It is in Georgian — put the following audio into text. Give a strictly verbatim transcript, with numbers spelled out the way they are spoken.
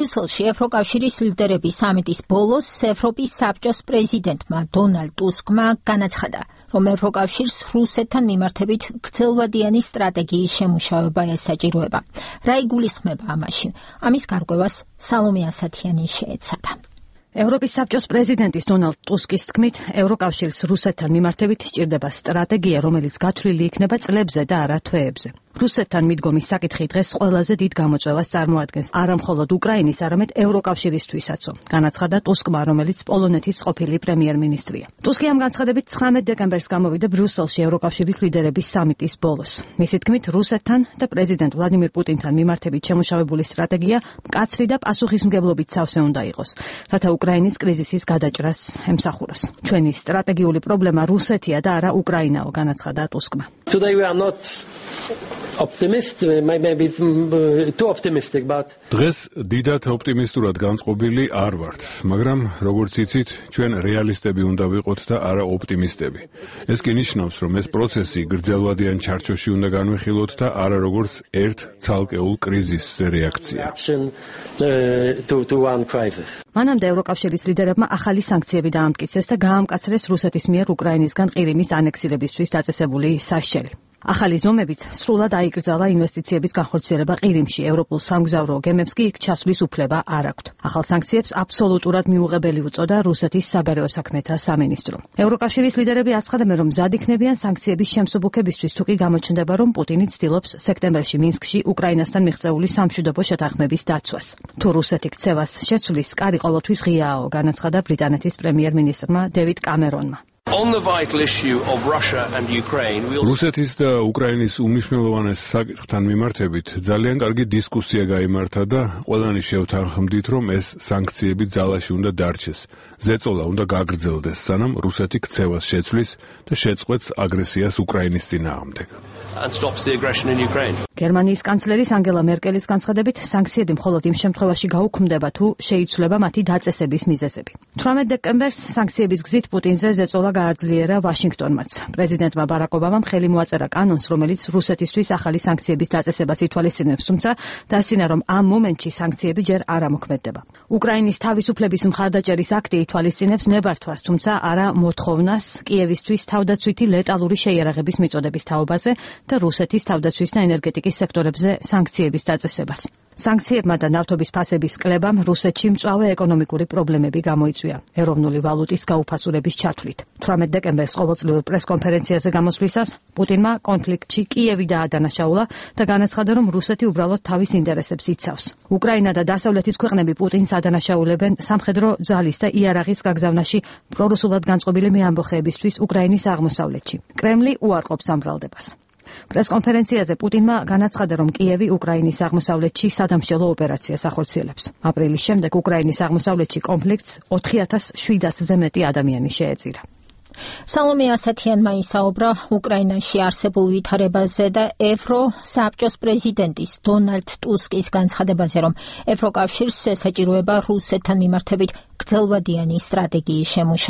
ბრიუსელში ევროკავშირის ლიდერების სამიტის ბოლოს ევროპის საბჭოს პრეზიდენტმა დონალდ ტუსკმა განაცხადა, რომ ევროკავშირს რუსეთთან მიმართებით გრძელვადიანი სტრატეგიის შემუშავება ესაჭიროება. რა იგულისხმება ამაში? ამის გარკვევას სალომე ასათიანი შეეცადა. ევროპის საბჭოს პრეზიდენტის დონალდ ტუსკის თქმით, ევროკავშირს რუსეთთან მიმართებით სჭირდება სტრატეგია, რომელიც გათვლილი იქნება წლებზე და არა თვეებზე. რუსეთთან მიდგომის საკითხი დღეს ყველაზე დიდ გამოწვევას წარმოადგენს არა მხოლოდ უკრაინის, არამედ ევროკავშირისთვისაც, განაცხადა ტუსკმა, რომელიც პოლონეთის ყოფილი პრემიერ-მინისტრია. ტუსკი ამ განცხადებით ცხრამეტ დეკემბერს გამოვიდა ბრიუსელში ევროკავშირის ლიდერების სამიტის ბოლოს. მისი თქმით, რუსეთთან და პრეზიდენტ ვლადიმირ პუტინთან მიმართებით შემუშავებული სტრატეგია მკაცრი და პასუხისმგებლობით სავსე უნდა იყოს, რათა უკრაინის კრიზისის გადაჭრას ემსახუროს. ჩვენი სტრატეგიული პრობლემა რუსეთია და არა უკრაინაო, განაცხადა ტუსკმა. Today we are not optimistic, maybe too optimistic, but დღეს დიდად ოპტიმისტურად განწყობილი არ ვართ, მაგრამ როგორც იცით, ჩვენ რეალისტები უნდა ვიყოთ და არა ოპტიმისტები. ეს კი ნიშნავს, რომ ეს პროცესი გრძელვადიან ჩარჩოში უნდა განვიხილოთ და არა როგორც ერთ ცალკეულ კრიზისზე რეაქცია. მანამდე ევროკავშირის ლიდერებმა ახალი სანქციები დაამტკიცეს და გაამკაცრეს რუსეთის მიერ უკრაინისგან ყირიმის ანექსირებისთვის დაწესებული სასჯელი. ახალი ზომებით სრულად აიკრძალა ინვესტიციების განხორციელება ყირიმში, ევროპულ სამგზავრო გემებს კი იქ ჩასვლის უფლება არ აქვთ. ახალ სანქციებს აბსოლუტურად მიუღებელი უწოდა რუსეთის საგარეო საქმეთა სამინისტრო. ევროკავშირის ლიდერები აცხადებენ, რომ მზად იქნებიან სანქციების შემსუბუქებისთვის, თუ კი გამოჩნდება, რომ პუტინი ცდილობს სექტემბერში მინსკში უკრაინასთან მიღწეული სამშვიდობო შეთანხმების დაცვას. თუ რუსეთი ქცევას შეცვლის, კარი ყოველთვის ღიააო, განაცხადა ბრიტანეთის პრემიერ-მინისტრმა დევიდ კამერონმა. On the vital issue of Russia and Ukraine, we also... რუსეთის და უკრაინის უმნიშვნელოვანეს საკითხთან მიმართებით ძალიან კარგი დისკუსია გაიმართა და ყველანი შევთანხმდით, რომ ეს სანქციები ძალაში უნდა დარჩეს. ზეწოლა უნდა გაგრძელდეს, სანამ რუსეთი ქცევას შეცვლის და შეწყვეტს აგრესიას უკრაინის წინააღმდეგ. and stops the aggression in Ukraine. გერმანიის კანცლერის ანგელა მერკელის განცხადებით, სანქციები მხოლოდ იმ შემთხვევაში გაუქმდება, თუ შეიცვლება მათი დაწესების მიზეზები. თვრამეტ დეკემბერს სანქციების გზით პუტინზე ზეწოლა გააძლიერა ვაშინგტონმაც. პრეზიდენტმა ბარაკ ობამამ ხელი მოაწერა კანონს, რომელიც რუსეთისთვის ახალი სანქციების დაწესებას ითვალისწინებს, თუმცა დასცინა, რომ ამ მომენტში სანქციები ჯერ არ ამოქმედდება. უკრაინის თავისუფლების მხარდაჭერის აქტი ითვალისწინებს ნებართვას, თუმცა არა მოთხოვნას კიევისთვის თავდაცვითი ლეტალური შეიარაღების მიწოდების თაობაზე და რუსეთის თავდაცვის და ენერგეტიკის სექტორებზე სანქციების დაწესებას. სანქციებმა და ნავთობის ფასების კლებამ რუსეთში მწვავე ეკონომიკური პრობლემები გამოიწვია ეროვნული ვალუტის გაუფასურების ჩათვლით. თვრამეტ დეკემბერს ყოველწლიურ პრესკონფერენციაზე გამოსვლისას პუტინმა კონფლიქტში კიევი დაადანაშაულა და განაცხადა, რომ რუსეთი უბრალოდ თავის ინტერესებს იცავს. უკრაინა და დასავლეთის ქვეყნები პუტინს ადანაშაულებენ სამხედრო ძალის და იარაღის გაგზავნაში პრორუსულად განწყობილი მეამბოხეებისთვის უკრაინის აღმოსავლეთში. კრემლი უარყოფს ამ ბრალდებას. პრესკონფერენციაზე პუტინმა განაცხადა, რომ კიევი უკრაინის აღმოსავლეთში სადამშელო ოპერაციას ახორციელებს. აპრილის შემდეგ უკრაინის აღმოსავლეთში კონფლიქტს ოთხი ათას შვიდასზე მეტი ადამიანი შეეწირა. სალომე ასათიანმა ისაუბრა უკრაინაში არსებულ ვითარებაზე და ევროსაბჭოს პრეზიდენტის დონალდ ტუსკის განცხადებაზე, რომ ევროკავშირს ესაჭიროება რუსეთთან მიმართებით გრძელვადიანი სტრატეგიის შემუშავება.